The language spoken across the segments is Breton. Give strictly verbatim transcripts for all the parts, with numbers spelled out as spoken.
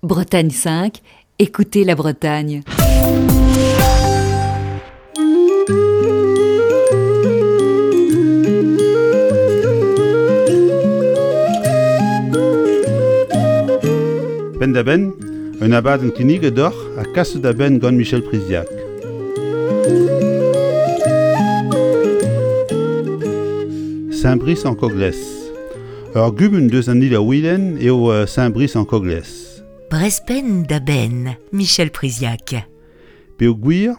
Bretagne cinq, écoutez la Bretagne. Penn-da-benn, un abadenn kinniget deoc'h ha kaset da benn gant Michel Priziac. Saint-Brice-en-Coglès. Ur gumun deus an Ille-ha-Wilen eo Saint-Brice-en-Coglès. Brezh penn-da-benn, Michel Priziac. Peogwir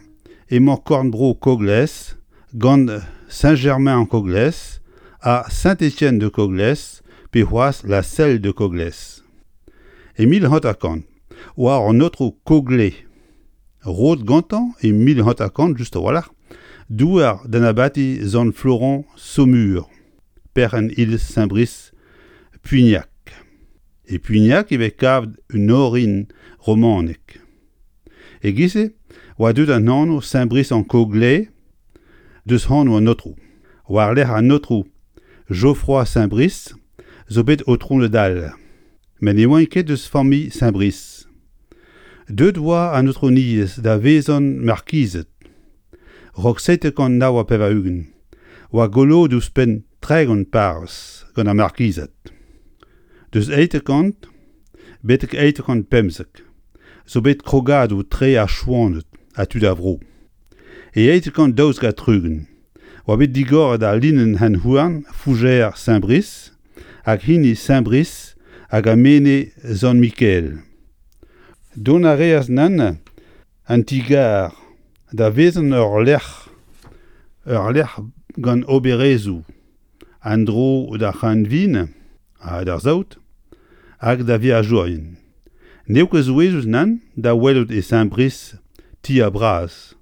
emañ korn-bro Coglès gant Saint-Germain-en-Coglès ha Saint-Étienne-de-Coglès pe c'hoazh La Celle-de-Coglès. E mil hanter-kant oa an aotrou Coglais, roet gantañ e mil hanter-kant just a-walc'h, douar d'an abati Sant-Florent Saumur, perc'henn iliz Saint-Brice Puignac. E Puignac e vez kavet un orin romanek. E-giz-se oa deuet an anv Saint-Brice-en-Coglais deus anv an aotrou. War-lerc'h an aotrou Geoffroy Saint-Brice zo bet aotrouned all, met ne oant ket eus familh Saint-Brice. Deuet oa an aotrouniezh da vezañ markized. Raok seitek kant nav ha pevar-ugent oa goloet ouzhpenn tregont parrez gant ar markized. Deus eitek kant betek eitek kant pemzek zo bet krogadoù tre ar Chouaned ha tud ar vro. E eitek kant daouzek ha tri-ugent oa bet digoret al linenn hent-houarn Fougères Saint-Brice hag hini Saint-Brice hag ar Menez Sant-Mikael. Dont a reas neuze an ti-gar da vezañ ur lec'h ur lec'h gant oberezhioù en-dro d'ar c'hreñvin ha d'ar saout hag da veajourien. N'eo ket souezhus nann da welout e Saint-Brice tier bras,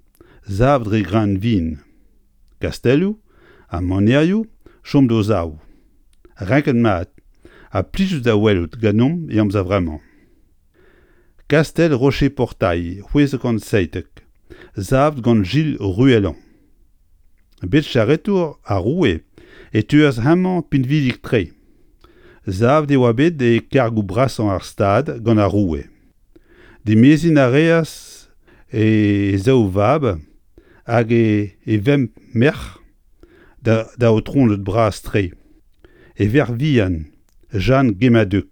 savet dre greñvin, kastellioù ha manerioù chom d'o sav, renket mat ha plijus da welout ganeomp e amzer vremañ. Kastell Rocher-Portail, c'hwezek kant seitek, savet gant Gilles Ruellan. Bet charretour ar roue e teuas hemañ pinvidik-tre. Savet e oa bet e kargoù brasañ ar Stad gant ar roue. Dimeziñ a reas e zaou vab hag e vemp merc'h da aotrouned bras-tre. E verc'h vihan, Jeanne Guémadeuc,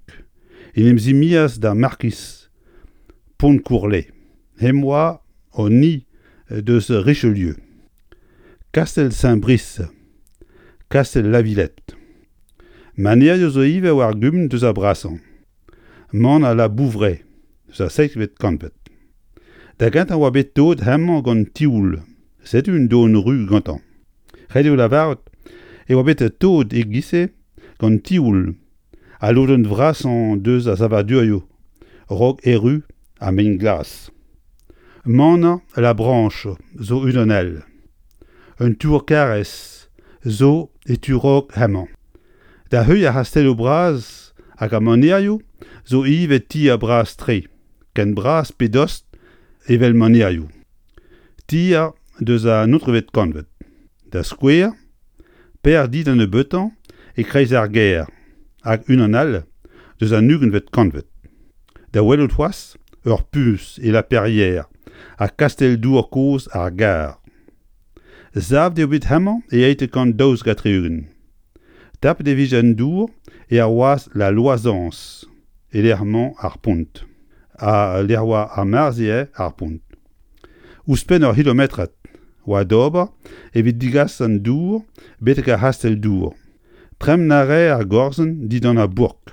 en em zimezas d'ar markiz Pontcourlet. Hemañ oa an ni deus Richelieu. Kastell Saint-Brice, Kastell La Villette. Manerioù zo ivez war gumun deus ar brasañ. Maner La Bouvraie eus ar seizhvet kantved. Da gentañ oa bet toet hemañ gant tioul, setu un doenn ruz gantañ. Ret eo lavarout e oa bet toet e-giz-se gant tioul al lodenn vrasañ deus ar savadurioù a-raok erru ar mein-glas. Maner La Branche zo unan all. Un tour karrez zo e tu-raok hemañ. Da heuilh ar c'hastelloù bras hag ar manerioù zo ivez tier bras-tre, ken bras pe dost evel manerioù. Tier deus an naontekvet kantved. Da skouer, per di da nebeutañ e-kreiz ar gêr hag unan all deus an ugentvet kantved. Da welout c'hoazh ur puñs e La Perrière ha kastell-dour kozh ar gar. Savet eo bet hemañ e eitek kant daouzek ha tri-ugent. Tapet e vije an dour e ar wazh La Loisance e-lec'h emañ ar pont. Ha lec'h oa ar marzh ar pont. Ouzhpenn ur c'hilometrad oa d'ober evit degas an dour betek ar c'hastell-dour. Tremen a rae ar gorzenn dindan ar bourk.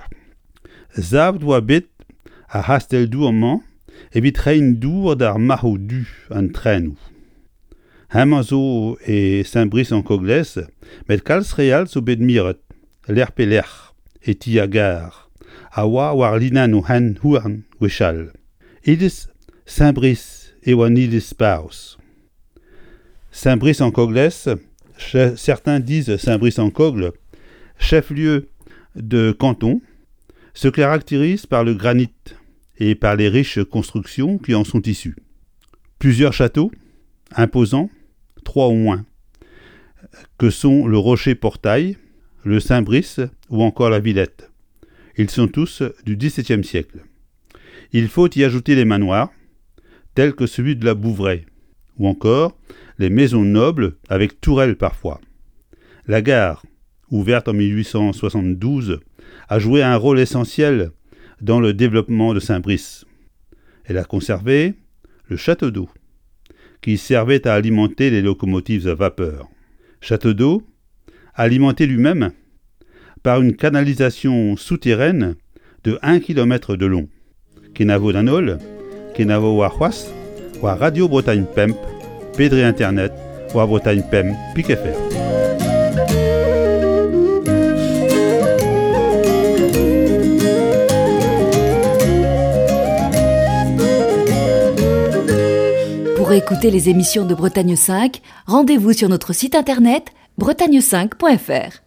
Savet oa bet ar c'hastell-dour-mañ evit reiñ dour d'ar marc'hoù du an trenoù. Hemañ zo e Saint-Brice-en-Coglès, met kalz re all zo bet miret, lec'h pe lec'h, e ti ar gar, a oa war linennoù hent-houarn gwechall. Iliz Saint-Brice eo an iliz parrez. Saint-Brice-en-Coglès, certains disent Saint-Brice-en-Cogle, chef-lieu de canton, se caractérise par le granit et par les riches constructions qui en sont issues. Plusieurs châteaux imposants, trois au moins, que sont le Rocher-Portail, le Saint-Brice ou encore la Villette. Ils sont tous du dix-septième siècle. Il faut y ajouter les manoirs, tels que celui de la Bouvraie, ou encore les maisons nobles avec tourelles parfois. La gare, ouverte en mille huit cent soixante-douze, a joué un rôle essentiel dans le développement de Saint-Brice. Elle a conservé le château d'eau, qui servait à alimenter les locomotives à vapeur. Château d'eau, alimenté lui-même par une canalisation souterraine de un kilomètre de long. Kenavo d'an holl, kenavo war c'hoazh, war Radio Bretagne Pemp, Pedre Internet, war Bretagne Pemp, Pic F R. Pour écouter les émissions de Bretagne cinq, rendez-vous sur notre site internet bretagne cinq point F R.